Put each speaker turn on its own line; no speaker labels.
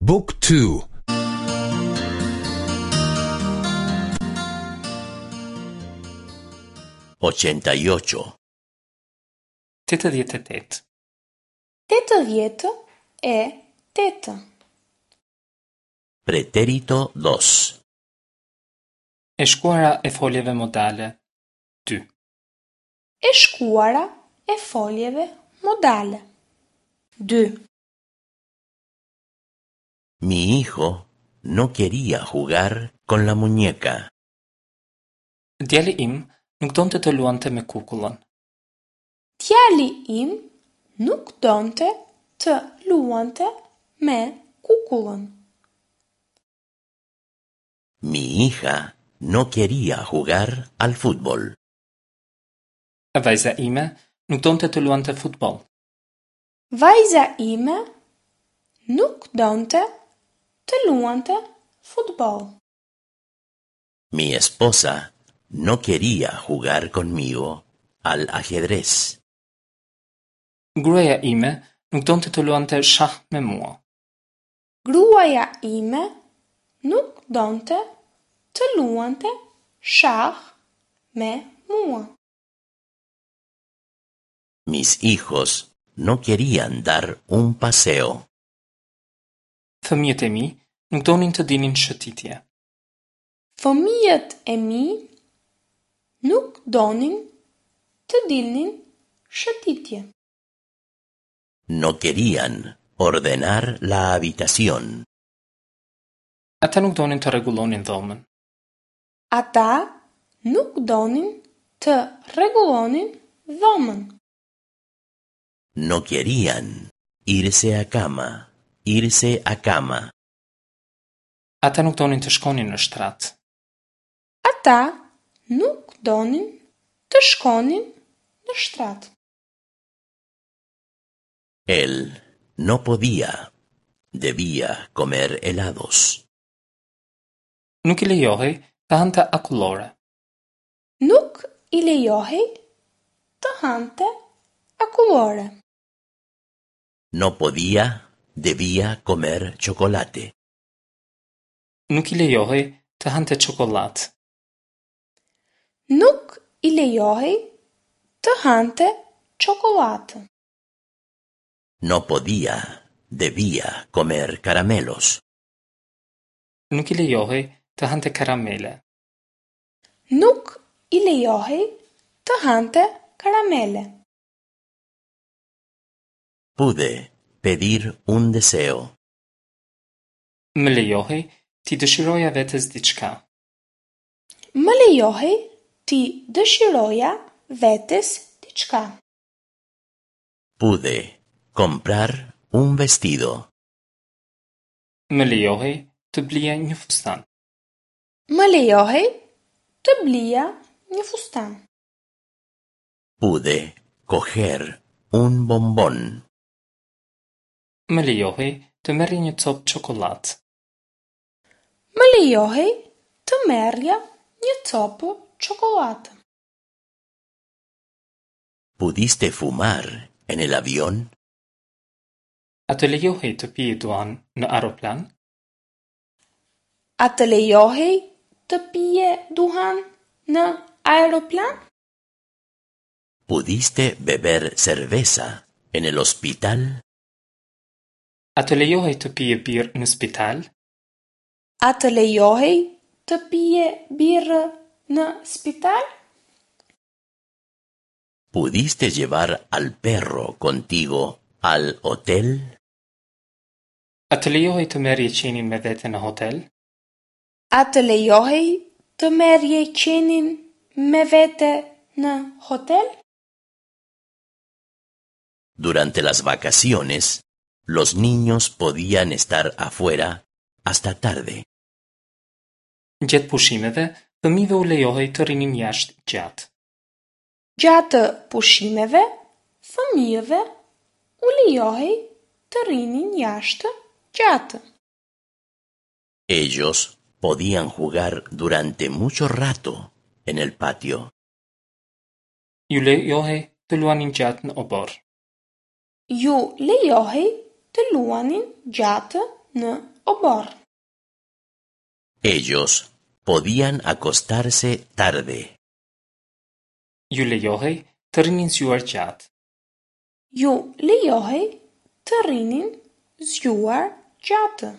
บุ๊กทู
88.
88.
88.
Pretérito 2.
E shkuara e foljeve modale. 2.
E shkuara e foljeve modale. 2.
Mi hijo no quería jugar con la muñeca.
Djali im nuk donte të luante me kukullën.
Djali im nuk donte të luante me kukullën.
Mi hija no quería jugar al fútbol.
Vajza ime nuk donte të luante futboll.
Vajza ime nuk donte të luante futboll.
Mi esposa no quería jugar conmigo al ajedrez.
Gruaja ime nuk donte të luante shah me mua.
Gruaja ime nuk donte të luante shah me mua.
Mis hijos no querían dar un paseo.
Fëmijët e mi nuk donin të dilnin shëtitje.
Fëmijët e mi nuk donin të dilnin shëtitje.
No querían ordenar la habitación.
Ata nuk donin të rregullonin dhomën.
Ata nuk donin të rregullonin dhomën.
No querían irse a cama, irse a cama.
Ata nuk donin të shkonin në shtrat.
Ata nuk donin të shkonin në shtrat.
Él no podía, debía comer helados.
Nuk i lejohej të hante akullore.
Nuk i lejohej të hante akullore.
No podía, debía comer chocolate.
Nuk i lejohej të hante çokollatë.
Nuk i lejohej të hante çokollatë.
No podía, debía comer caramelos.
Nuk i lejohej të hante karamele.
Nuk i lejohej të hante karamele.
Pude pedir un deseo.
Më lejohej t'i dëshiroja vetes diçka.
Më lejohej t'i dëshiroja vetes diçka.
Pude comprar un vestido.
Më lejohej të blija një fustan.
Më lejohej të blija një fustan.
Pude coger un bombón.
Më lejohej të merrja një copë çokollatë.
Më lejohej të merrja një copë çokollatë.
¿Pudiste fumar en el avión?
A të lejohej të pije duhan në aeroplan?
A të lejohej të pije duhan në aeroplan?
¿Pudiste beber cerveza en el hospital?
A të lejohej të pije birrë në spital?
A të lejohej të pije birrë në spital?
¿Pudiste llevar al perro contigo al hotel?
A të lejohej të merrje qenin me vete në hotel?
A të lejohej të merrje qenin me vete në hotel?
Durante las vacaciones, los niños podían estar afuera hasta tarde.
Gjatë pushimeve, fëmijëve u lejohej të rrinin jashtë gjatë.
Gjatë pushimeve, fëmijëve u lejohej të rrinin jashtë gjatë.
Ellos podían jugar durante mucho rato en el patio.
Ju lejohej të luanin gjatë në oborr.
Ju lejohej të luanin gjatë në oborr.
Ellos podían acostarse tarde.
Ju lejohej të rrinin zgjuar gjatë.
Ju lejohej të rrinin zgjuar gjatë.